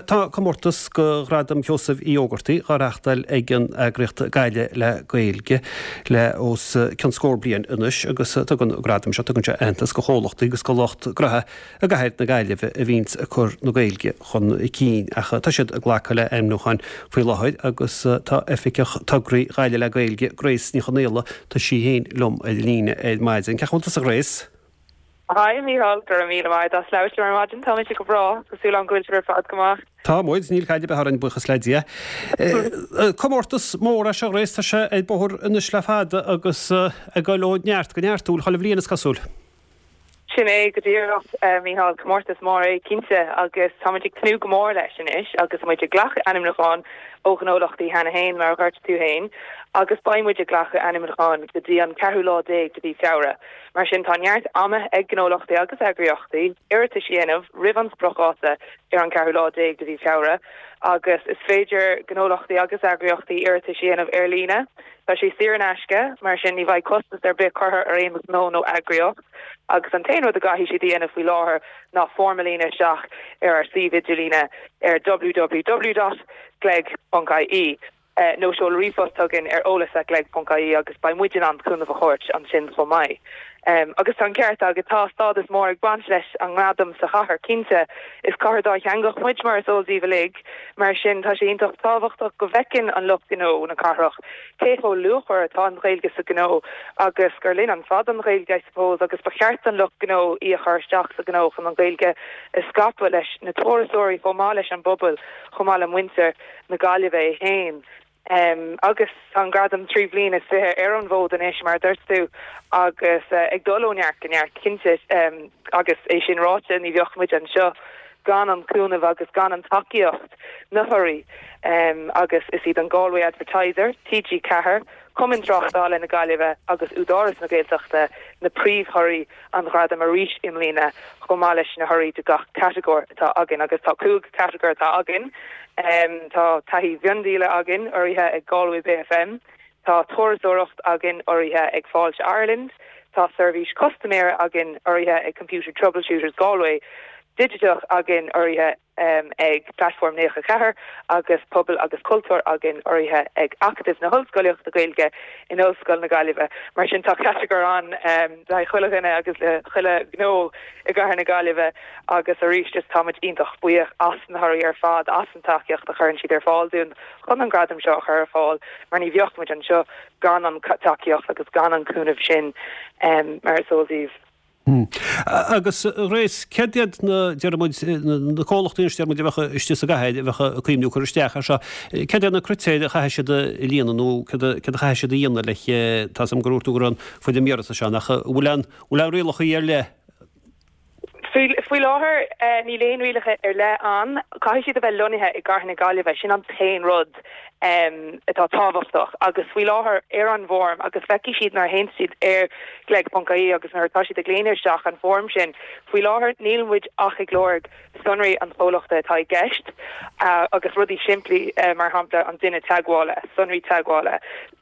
Tá comórtas do Ghradam Sheosaimh Uí Ógartaigh á reáchtáil ag an eagraíocht Gaillimh le Gaeilge le os cionn scór bliain anois agus tugann an gradam seo, tugann sé aitheantas do chomhlachtaí agus do lucht gnoithe i gcathair na Gaillimhe a bhíonns ag cur na Gaeilge chun cinn. Ach tá siad ag glacadh le ainmniúcháin faoi láthair agus tá Oifigeach Tograí Ghaillimh le Gaeilge, Grace Ní Chonaola, tá sí féin liom ar líne ar maidin. Cén chaoi a bhfuil tusa a Ghrace? Hi, a Mhícheáil, go raibh míle maith agat as labhairt liom ar maidin, tá mise go breá, tá súil agam go bhfuil sibh ar fad go maith. Tá muid, níl caill ar bith orainn, buíochas le Dia. Comórtas mór é seo, a Ghrace, tá sé ar bóthar anois le fada agus ag dul ó neart go neart chuile bhliain is cosúil. Sin é go díreach, a Mhícheáil, comórtas mór é cinnte agus táimid ag tnúth go mór leis anois agus muid ag glacadh ainmniúchán ó ghnólachtaí cheana féin, mar a dhúirt tú féin, agus beidh muid ag glacadh ainmniúchán go dtí an ceathrú lá déag de mhí Feabhra. Mar sin, tá neart ama ag gnólachtaí agus eagraíochtaí iarratais a dhéanamh roimh an spriocdháta ar an ceathrú lá déag de mhí Feabhra agus is féidir gnólachtaí agus eagraíochtaí iarratais a dhéanamh ar líne. Tá sé saor in aisce, mar sin ní bheidh costas ar bith curtha ar aon ghnó nó eagraíocht agus an t-aon rud a gcaithfidh siad a dhéanamh faoi láthair ná foirm a líonadh isteach ar ár suíomh idirlíne ar www.gleg.ie. nó seol ríomhphost chugainn ar eolas at gleg ponc ie agus beidh muid in ann cúnamh a thabhairt ansin chomh maith. Agus tá an ceart agat, tá stádas mór ag baint leis an ngradam sa chathair, cinnte. Is cathair dátheangach muid, mar is eol daoibh uilig, mar sin tá sé iontach tábhachtach go bhfeiceann an lucht gnó na cathrach cé chomh luachmhar atá an Ghaeilge sa ghnó agus gur linn ar fad an Ghaeilge, I suppose, agus ba cheart don lucht gnó í a chur isteach sa ghnó chun an Ghaeilge a scaipeadh leis na turasóirí chomh maith leis an bpobal, chomh maith le muintir. na Gaillimhe é féin. Agus tá an gradam 23 bliana ar an bhfód anois, mar a dúirt tú, agus ag dul ó neart go neart, cinnte. Agus é sin ráite, ní bheadh muid anseo gan an cúnamh agus gan an tacaíocht na hurraí. Agus is iad an Galway Advertiser, TG4, Cumann Tráchtála na Gaillimhe agus Údarás na Gaeltachta na príomhurraí an ghradaim arís i mbliana, chomh maith leis na hurraí do gach catagóir atá againn, agus tá 5 catagóir atá againn. Tá taithí mhiondíola againn, urraithe ag Galway Bay FM, tá turasóireacht againn, urraithe ag Fáilte Ireland, tá seirbhís custaiméara againn, urraithe ag Computer Troubleshooters Galway, digiteach againn, urraithe. ag Platform 94 agus Pobal agus Cultúr againn urraithe ag Acadamh na hOllscolaíochta Gaeilge in Ollscoil na Gaillimhe. Mar sin tá catagóir ann le haghaidh chuile dhuine agus le chuile ghnó i gcathair na Gaillimhe agus arís just táimid iontach buíoch as na hurraí ar fad, as an tacaíocht a chuireann siad ar fáil dúinn chun an gradam seo a chur ar fáil mar ní bheadh muid anseo gan an tacaíocht agus gan an cúnamh sin mar is eol daoibh. Agus a Ghrace, céard iad na, déarfaidh muid, na comhlachtaí anois, déarfaidh muid, a bheadh istigh sa gcathair, a bheadh ag cuimhniú cur isteach air seo, céard iad na critéir a chaithfidh siad a líonadh nó céard a chaithfidh siad a dhéanamh le, tá 's agam gur dhúirt tú go raibh an foirm iarratais ann, ach an bhfuil aon, bhfuil aon rialacha ar leith? Faoi láthair níl aon rialacha ar leith ann. Caithfidh siad a bheith lonnaithe i gcathair na Gaillimhe, sin an t-aon rud. atá tábhachtach agus faoi láthair ar an bhfoirm agus feicfidh siad nuair a théann siad ar gleg.ie agus nuair atá siad ag líonadh isteach an foirm sin, faoi láthair níl muid ach ag lorg sonraí an chomhlachta atá i gceist agus rudaí simplí mar shampla an duine teagmhála, sonraí teagmhála.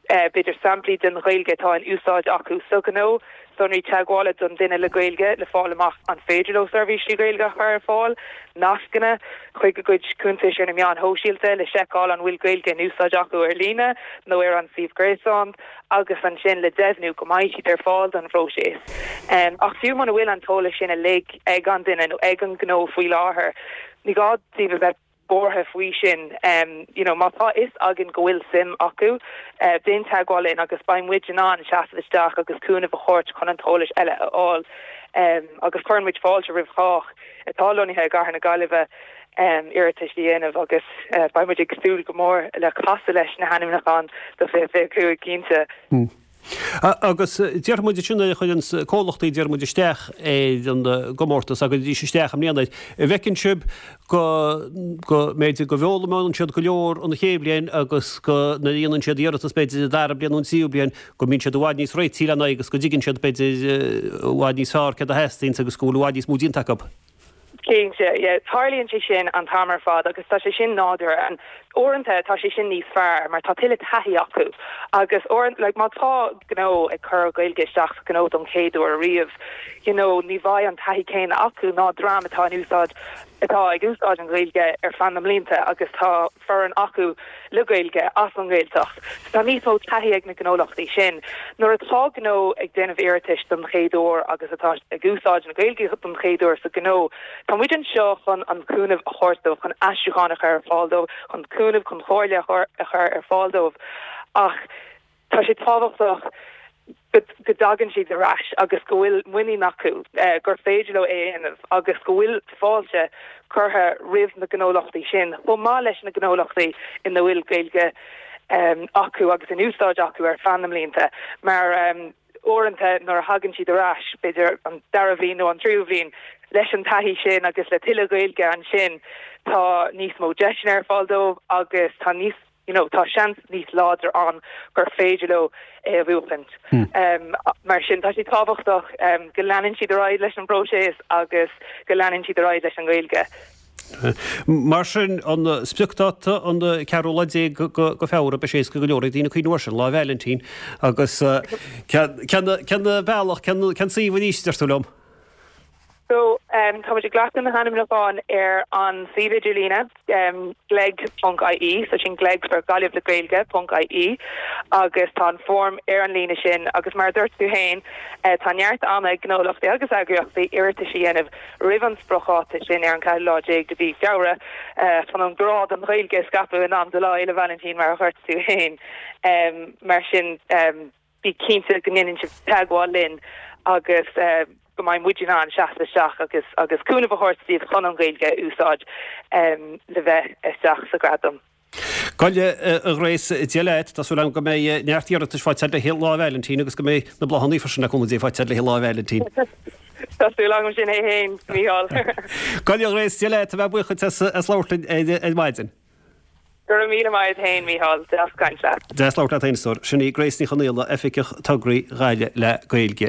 b'fhéidir samplaí den Ghaeilge atá in úsáid acu sa ghnó, sonraí teagmhála don duine le Gaeilge le fáil amach an féidir leo seirbhísí Gaeilge a chur ar fáil, nascanna chuig a gcuid cuntais ar na meáin shóisialta le seiceáil an bhfuil Gaeilge in úsáid acu ar líne nó ar an suíomh gréasáin agus ansin le deimhniú go mbeidh siad ar fáil don phróiseas. Ach fiú muna bhfuil an t-eolas sin uilig ag an duine nó ag an ngnó faoi láthair, ní gá daoibh a bheith. buartha faoi sin. You know, má tá fhios againn go bhfuil suim acu, déan teagmháil linn agus beidh muid in ann seasamh isteach agus cúnamh a thabhairt chun an t-eolas eile a fháil. Agus cuireann muid fáilte roimh chách atá lonnaithe i gcathair na Gaillimhe iarratais a dhéanamh agus beidh muid ag súil go mór le casadh leis na hainmniúcháin do 2025 cinnte. Agus déarfaidh muid ansin nuair a chuireann comhlachtaí, déarfaidh muid, isteach ar an gcomórtas agus arís isteach i mbliana air, an bhfeiceann sibh go, go mb'fhéidir go bhfoghlaimíonn siad go leor an chéad bhliain agus go, nuair a dhéanann siad iarratas b'fhéidir an dara bliain nó an tríú bliain, go mbíonn siad i bhfad níos réití lena aghaidh agus go dtuigeann siad b'fhéidir i bhfad níos fearr céard a theastaíonns agus go bhfuil i bhfad níos mó déanta acu. Cinnte, yeah. Tarlaíonn sé sin an t-am ar fad agus tá sé sin nádúrtha. Uaireanta tá sé sin níos fearr mar tá tuilleadh taithí acu agus uaireanta, like, má tá gnó ag cur Gaeilge isteach sa ghnó don chéad uair ariamh, you know, ní bheidh an taithí céanna acu ná dream atá in úsáid. atá ag úsáid an Ghaeilge ar feadh na mblianta agus tá foireann acu le Gaeilge as an nGaeltacht. So tá níos mó taithí ag na gnólachtaí sin. Nuair atá gnó ag déanamh iarratais don chéad uair agus atá ag úsáid na Gaeilge don chéad uair sa ghnó, tá muid anseo chun an cúnamh a thabhairt dóibh, chun aistriúchán a chur ar fáil dóibh, chun cúnamh, chun comhairle a chur ar fáil dóibh. Ach tá sé tábhachtach go dtagann siad ar ais agus go bhfuil muinín acu gur féidir leo é a dhéanamh agus go bhfuil fáilte curtha roimh na gnólachtaí sin, chomh maith leis na gnólachtaí ina bhfuil Gaeilge acu agus in úsáid acu ar feadh na mblianta. Mar uaireanta nuair a thagann siad ar ais, b'fhéidir an dara bhliain nó an tríú bhliain, leis an taithí sin agus le tuilleadh Gaeilge ansin, tá níos mó deiseanna ar fáil dóibh agus tá níos you know, tá seans níos láidre ann gur féidir leo é a bhuachaint. Mar sin, tá sé tábhachtach go leanann siad ar aghaidh leis an bpróiseas agus go leanann siad ar aghaidh leis an nGaeilge. Mar sin, an spriocdáta an ceathrú lá déag de Feabhra, beidh sé éasca go leor ag daoine cuimhniú air sin, Lá Vailintín, agus cén bealach, cén suíomh arís, deir tú liom? So, tá muid ag glacadh na hainmniúcháin ar an suíomh idirlíne, gleg ponc ie, so sin gleg for Gaillimh le Gaeilge ponc ie, agus tá an foirm ar an líne sin agus mar a dúirt tú féin, tá neart ama ag gnólachtaí agus eagraíochtaí iarratais a dhéanamh roimh an spriocdháta sin ar an ceathrú lá déag de mhí Feabhra chun an grá don Ghaeilge a scaipeadh in am do Lá Fhéile Vailintín mar a dúirt tú féin. Mar sin. Bí cinnte go ndéanann sibh teagmháil linn agus go mbeidh muid in ann seasamh isteach agus agus cúnamh a thabhairt daoibh chun an Ghaeilge a úsáid le bheith isteach sa ghradam. Go deimhin, a Ghrace, Dia leat, tá súil agam go mbeidh neart iarratais faighte le haghaidh Lá Vailintín agus go mbeidh na bláthanna freisin le cúnamh Dé faighte le haghaidh Lá Vailintín. Tá súil agam sin é féin, Mícheál. Go deimhin, a Ghrace, Dia leat, tá mé buíoch duit as labhairt linn ar maidin. Go raibh míle maith agat féin, Mícheál. Deas caint leat. Deas labhairt leat féin, a stór. Sin í Grace Ní Chonaola, Oifigeach Tograí Ghaillimh le Gaeilge.